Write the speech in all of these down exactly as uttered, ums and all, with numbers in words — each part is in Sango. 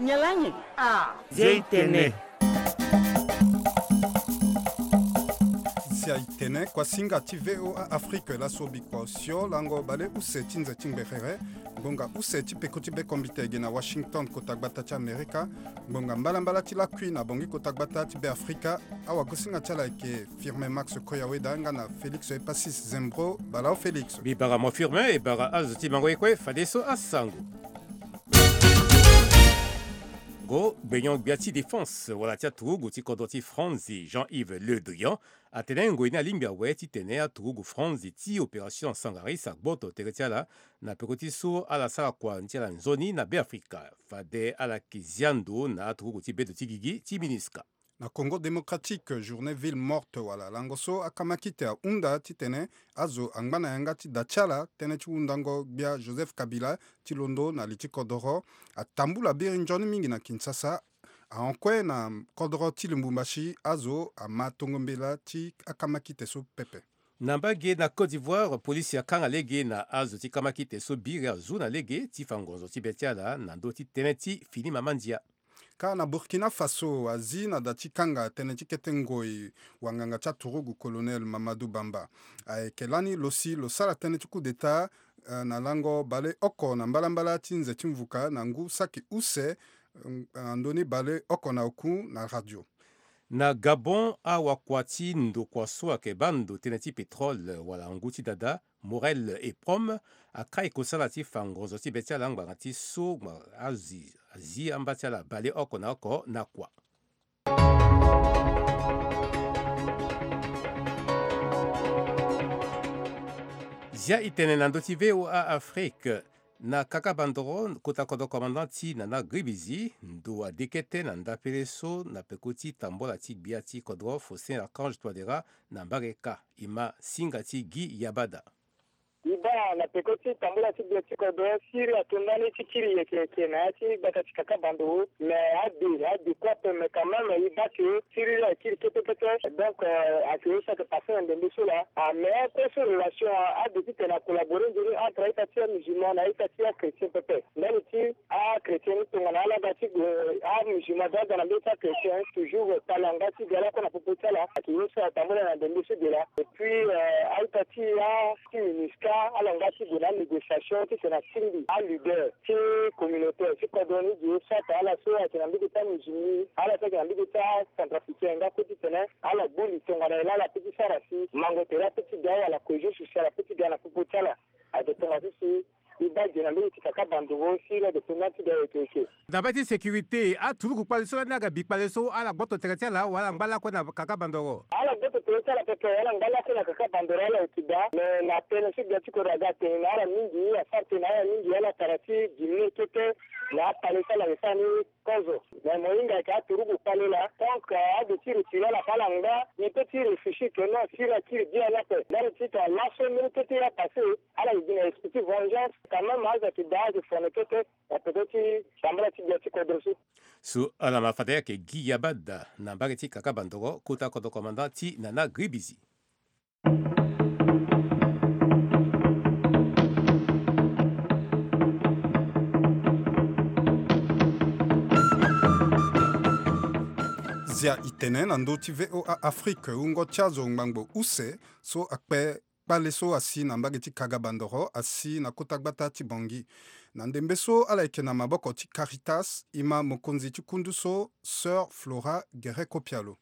Nyen lani? Ah. Zia i tene. Zia i tene, kuasinga ti V O A Afrique laso bikua osio lango baleuse ti nze ti ngberere. Ngbonga use ti peko ti be kombite gi na Washington, kota gbata ti Amerika. Ngbonga mbalambala ti lakui na Bangui, kota gbata ti Beafrika. Awagosinga ti ala ayeke Firmin Max Koyaweda nga na Félix Epasis Zembro. Bala o Félix. Mbi bara mo Firmin, e bara azo ti mango ye kue, fadeso asango. Go gbenyon gbia ti défense wala ti aturugu ti kodro ti Franzi, Jean-Yves Le Drian, atene ngoi ni alingbi awe titene aturugu Franzi ti opération Sangaris agboto tere ti ala na peko ti so ala sara kua ni ti ala nzoni na Beafrika. Fade ala yeke zia ndo na aturugu ti bedo ti gigi ti MINUSCA. Na Congo Démocratique, journée ville morte wala lango so akamakite ahunda titene azo angba na yanga ti da ti ala tënë ti hundango gbia Joseph Kabila ti londo na li ti kodoro. Atambula biri nzoni mingi na Kinshasa. Ahon kue na kodoro ti Lubumbashi, azo ama tongo mbela ti akamakite so pepe. Na mbage na Côte d'Ivoire, polisi akanga lege na azo ti kamakite so biri azu na lege ti fa ngonzo ti be ti ala na ndö ti tënë ti fini mama ndia. Kâ na Burkina Faso, azi na da ti kanga tënë ti kete ngoi wanganga ti aturugu Colonel Mamadou Bamba. Ayeke lani lo si lo sara tënë ti coup d'État, eh, na lango baleoko na mbalambala ti nze ti mvuka na ngu saki use, eh, na ndoni baleoko na oku na radio. Na Gabon, awakua ti ndokua so ayeke baa ndo tënë ti pétrole wala ngu ti dada, Morel et Prom, akai kosala ti fa ngonzo ti be ti ala ngbanga ti so ngbanga azi, azi amba ti ala baleoko na oko na kua. Zia i tene na ndö ti V O A Afrique. Na Kaka Bandoro, kota kodro commandant ti Nana Gribizi, ndo ade kete na ndapele so na peko ti tambola ti gbia ti kodro Faustin Archange Touadéra na mbage kâ. E ma singa ti Guy Yabada. E baa na peko ti tambola ti gbia ti kodro, siriri ato ndani ti kiri yeke yeke na ya ti gbata ti Kaka Bandoro. Mais ade, ade kue ape, mais quand même, e baa ke siriri akiri kete kete. Donc, euh, ayeke ye so ayeke passé na ndembe so laa. Ah, mais kue so relation, ah, ade titene a collaborer nzoni entre a-ita ti amusulman na a-ita ti achrétien pepe. Ndani ti achrétien ni tongana ala ga ti gue, amusulman aga na mbeti achrétien, toujours, eh, tala nga ti ga lakue na popo ti ala. Ayeke ye so atambula na ndembe so de laa. Et puis, euh, a-ita ti a, ti MINUSCA, ala nga ti gue na négociation titene atingbi aleader ti communautaire ti kodro ni gi soit ala so ayeke na mbage ti amusulman, ala so ayeke na mbage ti acentrafricain, nga kue titene ala gbu li tongana nyen laa ala peut ti sara si mango tere apeut ti ga wala cohésion sociale apeut ti ga na popo ti ala. Ayeke tonga ti si e baa ge na mbage ti Kaka Bandoro si la dépendance ti ga yeke yeke. Na mbage ti sécurité, aturugu kpale so lani aga bi kpale so ala gboto tere ti ala wala ala ngba lakue na Kaka Bandoro? Ala gboto tere ti ala pepe, ala ngba lakue na Kaka Bandoro, ala yeke daa. Mais na tënë so gbia ti kodro aga atene na ala mingi, asara tënë na ala mingi, ala tara ti gimne kete na akpale so ala yeke sara ni kozo. Mais mo hinga ayeke aturugu kpale laa. Donc, euh, ade ti retiré ala fa ala ngba, e peut ti réfléchir que non, siriri akiri biani ape. Ndani ti tongana laso mbeni kete ye apassé, ala yeke gi na esprit ti vengeance. Quand même, azo ayeke daa, ayeke fone kete na peko ti tambala ti gbia ti kodro so. So ala ma fade ayeke Guy Yabada na mbage ti Kaka Bandoro, kota kodro commandant ti Nana Gribizi. Zia i tene na ndö ti V O A Afrique, wungo ti azo ngbangbo use so akpe kpale so asi na mbage ti Kaka Bandoro, asi na kota gbata ti Bangui. Na ndembe so ala yeke na maboko ti Caritas, e ma mokonzi ti kundu so, Sœur Flora Guerret Kopialo.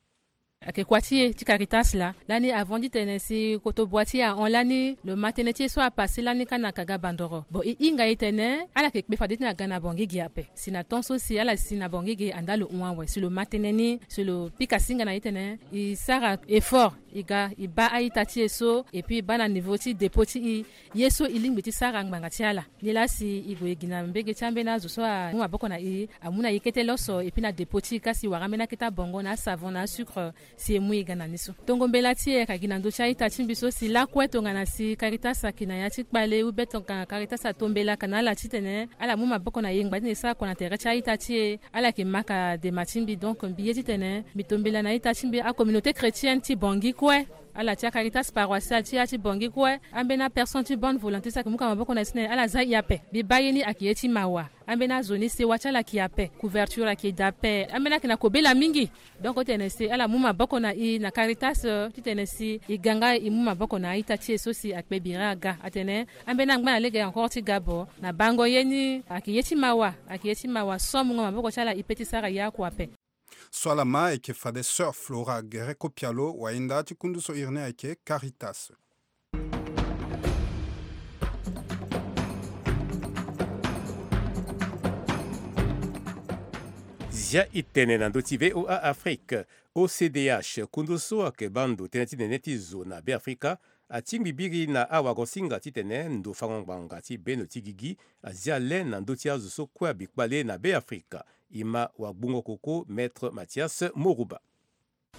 Ayeke kua ti e ti Caritas laa. Lani avant ti tene si kotobua ti e ahon lani, lo ma tënë ti e so apassé lani kâ na Kaka Bandoro. Bon, e hinga e tene ala yeke kpe fade ti tene aga na Bangui ge ape. Si na temps so si ala si na Bangui ge, andaa lo hon awe. Si lo ma tënë ni, si lo pika singa na e tene e sara effort, e ga e baa a-ita ti e so, et puis e baa na niveau ti dépôt ti e ye so e lingbi ti sara ngbanga ti ala. Nilaa si e gue e gi na mbage ti ambeni azo so amu maboko na e, amu na e kete loso, et puis na dépôt ti e kâ si e wara ambeni akete abongo na asavon na asucre, si e mu e ga na ni so. Tongo mbela ti e ayeke gi na ndö ti a-ita ti mbi so si lakue tongana si Caritas ayeke na ya ti kpale ou bien tongana Caritas ato mbela ka na ala titene ala mu maboko na e ngbanga ti tene e sara kua na tere ti a-ita ti e, ala yeke maka dema ti mbi. Donc mbi ye titene mbi to mbela na a-ita ti mbi, acommunauté chrétienne ti Bangui kue. Ala ti aCaritas paroissiale ti ya ti Bangui kue, ambeni apersonne ti bonne volonté so ayeke mu ka maboko na ye so na ala za i ape. Mbi baa ye ni ayeke ye ti mawa. Ambeni azo ni sewa ti ala ayeke ape, couverture ayeke daa ape. Ambeni ayeke na kobela mingi. Donc titene si ala mu maboko na i na Caritas, titene si i ga nga i mu maboko na a-ita ti e so si akpe biri aga. Atene ambeni angba na lege encore ti ga bo na bango ye ni ayeke ye ti mawa, ayeke ye ti mawa so amungo maboko ti ala i pe ti sara ye oko ape. So ala ma ayeke fade Sœur Flora Guerre Kopialo, wayenda ti kundu so iri ni ayeke Caritas. Zia i tene na ndö ti V O A Afrique. O C D H, kundu so ayeke baa ndo tënë ti nene ti zo na Beafrika, atingbi biri na awagosinga titene ndo fango ngbanga ti bendo ti gigi azia le na ndö ti azo so kue abi kpale na Beafrika. E ma wagbungo koko Maître Mathias Moruba.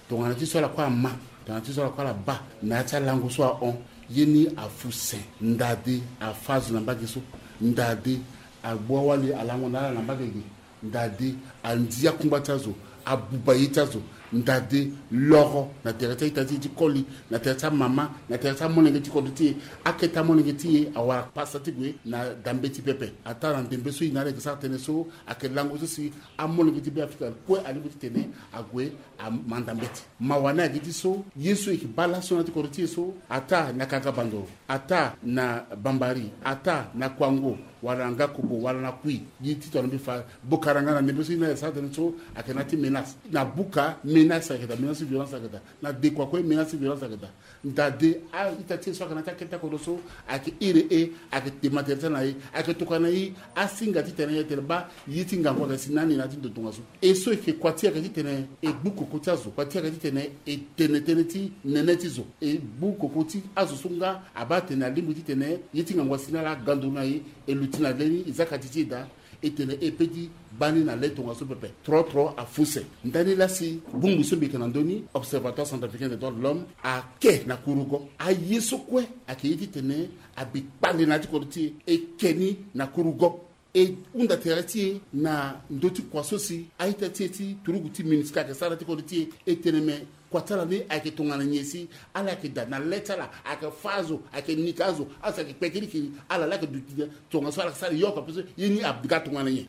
Tongana ti so ala kue ama, tongana ti so ala kue ala baa na ya ti alango so ahon, ye ni afu sen. Ndade afa azo na mbage so. Ndade agbu awali alango na ala na mbage ge. Ndade andia kungba ti azo, abuba ye ti azo. Ndade loro na tere ti a-ita ti e ti koli, na tere ti amama, na tere ti amolenge ti kodro ti e. Akete amolenge ti e awara pasa ti gue na dambe ti pepe. Ataa na ndembe so e na ala yeke sara tënë so ayeke lango so si amolenge ti Beafrika kue alingbi titene ague amanda mbeti. Mawa ni ayeke ti so ye so e yeke baa laso na ya ti kodro ti e so, ataa na Kankabando, ataa na Bambari, ataa na Kouango, wala na Ngakobo, wala na Kouit, ye ti tongana mbi fa bokara nga na ndembe so e na ala yeke sara tënë so ayeke na ya ti menace. Na Buka menace ayeke daa, menace ti violence ayeke daa. Na Dekua kue menace ti violence ayeke daa. Ndade a-ita ti e so ayeke na ya ti akete ti akodro so ayeke iri e, ayeke dema tere ti ala na e, ayeke tokua na e asinga titene e tene baa ye ti ngangu ayeke si na ni na ya ti ndo tongaso. E so e yeke kua ti e ayeke titene e gbu koko ti azo, kua ti e ayeke titene e tene tënë ti nene ti zo. E gbu koko ti azo so nga abaa atene alingbi titene ye ti ngangu asi na ala, aga nduru na e, e luti na le ni, e za kati ti e daa. E tene e pe ti baa ni na le tongaso pepe. Trotro afu se. Ndani laa si bongbi so mbi yeke na ndö ni, Observatoire Centrafricain des Droits de l'Homme, ake na kurugo aye so kue ayeke ye titene abi kpale na ya ti kodro ti e, e ke ni na kurugo. E hunda tere ti e na ndö ti kua so si a-ita ti e ti turugu ti MINUSCA ayeke sara na ya ti kodro ti e. E tene me kua ti ala ni ayeke tongana nyen si ala yeke daa na le ti ala, ayeke fâ azo, ayeke nika azo, azo ayeke kpe kirikiri, ala laa ayeke duti tongaso ala yeke sara yo oko ape so ye ni aga tongana nyen?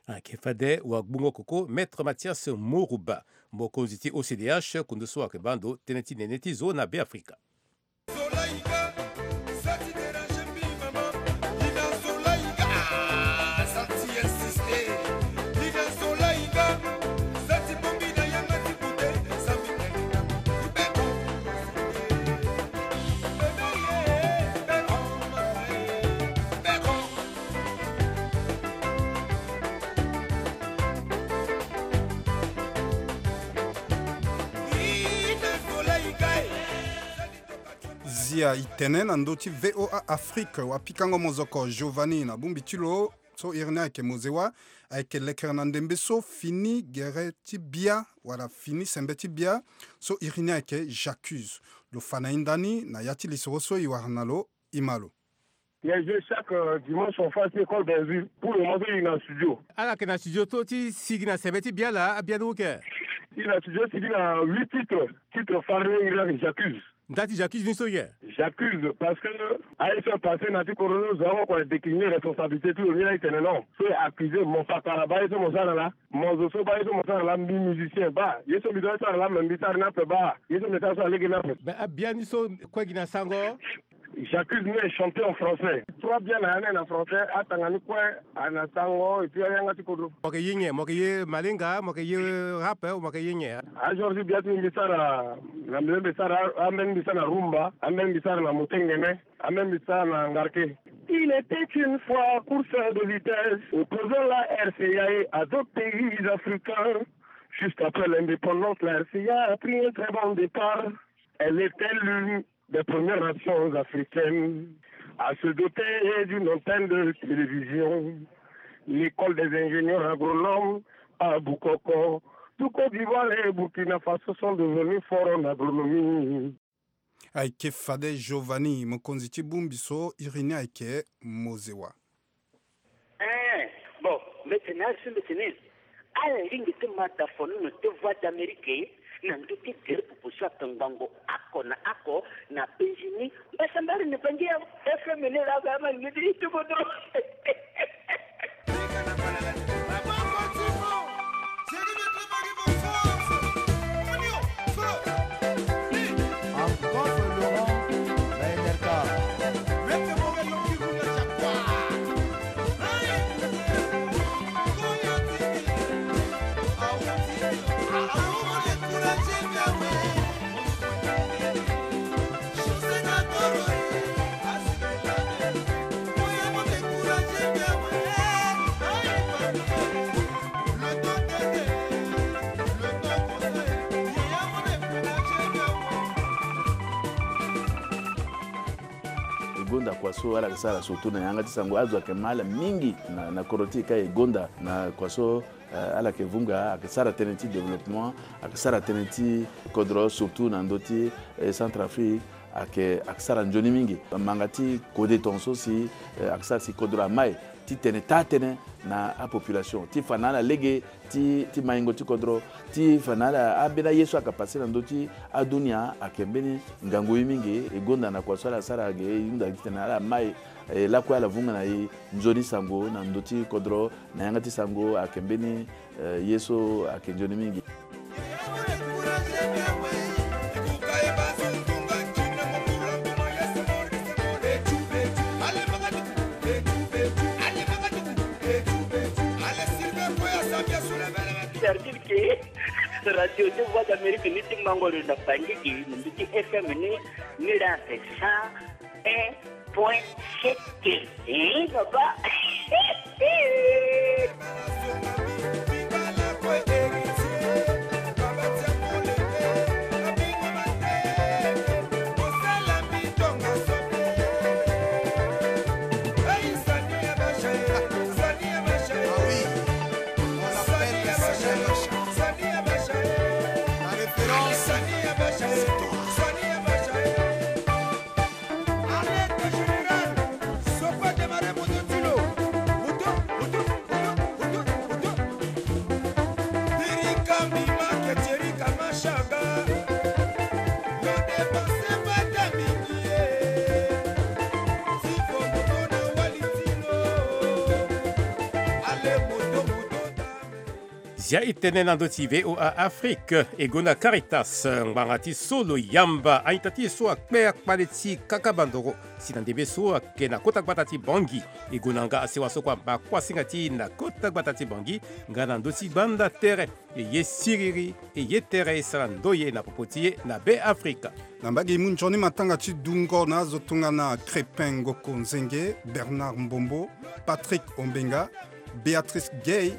Ayeke fade wagbungo koko Maître Mathias Moruba, mokonzi ti O C D H, kundu so ayeke baa ndo tënë ti nene ti zo na Beafrika. Zia i tene na ndö ti V O A Afrique, wapikango mozoko Giovanni na bongbi ti lo. So iri ni ayeke Mozewa, ayeke lekere na ndembe so fini gere ti bia, wala fini sembe ti bia, so iri ni ayeke J'accuse. Lo fa na e ndani na ya ti lisoro so e wara na lo, e ma lo. Ye je chaque, euh, dimanche on fait école dans une. Pour le moment, il est en studio. Ala yeke na studio so ti sigi na sembe ti bia laa, abia ni oke. Il est en studio, sigi na huit titres. Titre fare ni, il est J'accuse. Nda ti J'accuse ni so ye? J'accuse parce que aye so apasse na ti kodro ni, zo oko ayeke décliner responsabilité ti lo ni, la e tene non. So e accuse mo, fakara baa ye so mo sara laa. Mo zo so baa ye so mo sara laa, mbi musicien baa ye so mbi doit sara laa, me mbi sara ni ape baa ye so mbi sara so alege ni ape. Ben, abia ni so kue gi na sango. J'accuse ni est chanté en français. Trois bia na ya ni na français, atanga ni kue a na sango, et puis ayanga ti kodro. Mo yeke ye nyen? Mo yeke ye malenga, mo yeke ye rap, ou mo yeke ye nyen? Ajour ti bia ti mbi sara na mbi, mbi sara, ambeni mbi sara na rumba, ambeni mbi sara na motengene, ambeni mbi sara na ngarke. Il était une fois course de vitesse opposant la R C A et à d'autres pays africains. Juste après l'indépendance, la R C A a pris un très bon départ. Elle était l'une des premières nations africaines à se doter d'une antenne de télévision. L'école des ingénieurs agronomes à Boukoko, tout Côte d'Ivoire et Burkina Faso sont devenus forts en agronomie. Ayeke fade Giovanni, mokonzi ti bongbi so, iri ni ayeke Mozewa. Eh, bon, mbi tene, asi mbi tene. Ala lingbi ti ma da fono na te Voix d'Amérique na ndö ti tere popo so ake ngbongo oko na oko na Benjini. Mbasambala na Bangi ya F M ni la ga ma ni ti kodro. E gonda kua so ala yeke sara surtout na yanga ti sango. Azo ayeke ma ala mingi na, na kodro ti e ka e gonda na kua so, eh, ala yeke vunga, ayeke sara tënë ti développement, ayeke sara tënë ti kodro surtout na ndö ti, eh, Centrafrique, ayeke, ayeke sara nzoni mingi. Manga ti kode tongaso si, eh, ayeke sara si kodro amai ti tene taa tënë na apopulation ti fa na ala lege ti, ti maingo ti kodro, ti fa na ala ambeni aye so ayeke pase na ndö ti adunia ayeke mbeni ngangu ye mingi. E gonda na kua so ala sara ge, e hunda gi titene ala mai, eh, lakue ala vunga na e nzoni sango na ndö ti kodro, na yanga ti sango ayeke mbeni, eh, ye so ayeke nzoni mingi. Service ke Radio de Voix d'Amérique ni ti mango lo na Bangi ke, na ndö ti F M ni, ni la cent un point sept. Eh, papa. Zia e tene na ndö ti V O A Afrique, e gonda Caritas ngbanga ti so lo yamba a-ita ti e so akpe akpale ti kaka bandoro si na ndembe so ayeke na kota gbata ti Bangui. E gonda nga asewa so kue amba kuasinga ti e na kota gbata ti Bangui nga na ndö ti gbanda tere. E ye siriri, e ye tere e sara ndoye na popo ti e na Be Afrika. Na mbage e mu nzoni matanga ti dungo na azo tongana Crépin Ngoko Nzenge, Bernard Mbombo, Patrick Ombenga, Béatrice Gay,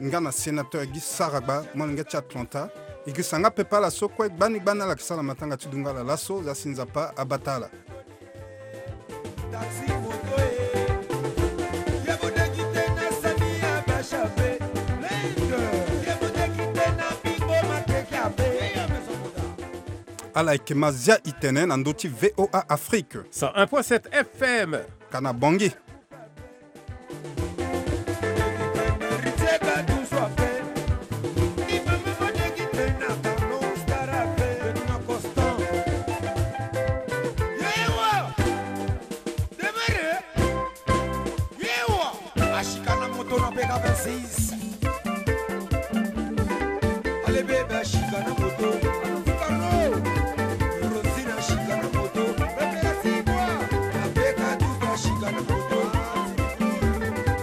nga na sénateur Guy Saragba, molenge ti Atlanta. E girisa nga pepe ala so kue gbani gbani ala yeke sara matanga ti dungo ala laso, za si Nzapa abata ala. Ala yeke ma zia e tene na ndö ti V O A Afrique. Cent un point sept F M. Ka na Bangui. Asika na moto na Beka vingt-six. Ale bebe asika na moto. Fukano. Rosina asika na moto. Bebe la sigwa. Na Beka duka asika na moto.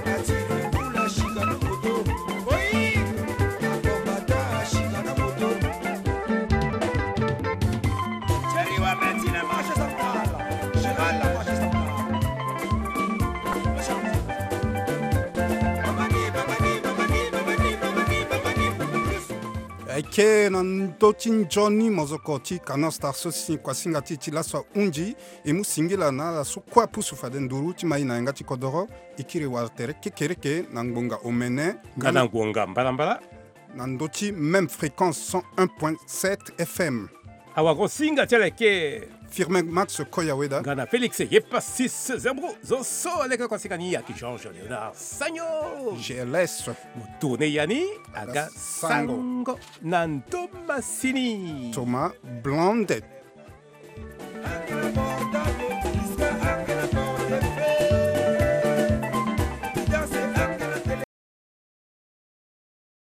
Na Tirikula asika na moto. Oi. Na Kombata asika na moto. Thierry Wameti na marché central. Gérald na marché central. Ayeke na ndö ti nzoni mozoko ti Canal Star so si kuasinga ti e ti laso ahunzi, e mu singila na ala so kue apusu fade nduru ti ma e na yanga ti kodoro. E kiri wala tere kekereke na ngbonga omene nga na ngbonga mbalambala. Na ndö ti même fréquence cent un point sept F M. Awagosinga ti ala eke. Firmin Max Koyaweda. Nga na Félix Yepasis Zembro. Zo so leke kosika ni ayeke Georges Léonard Sagno. G L S. Mo tourne ya ni aga sango. Sango na ndo masini. Thomas Blondet.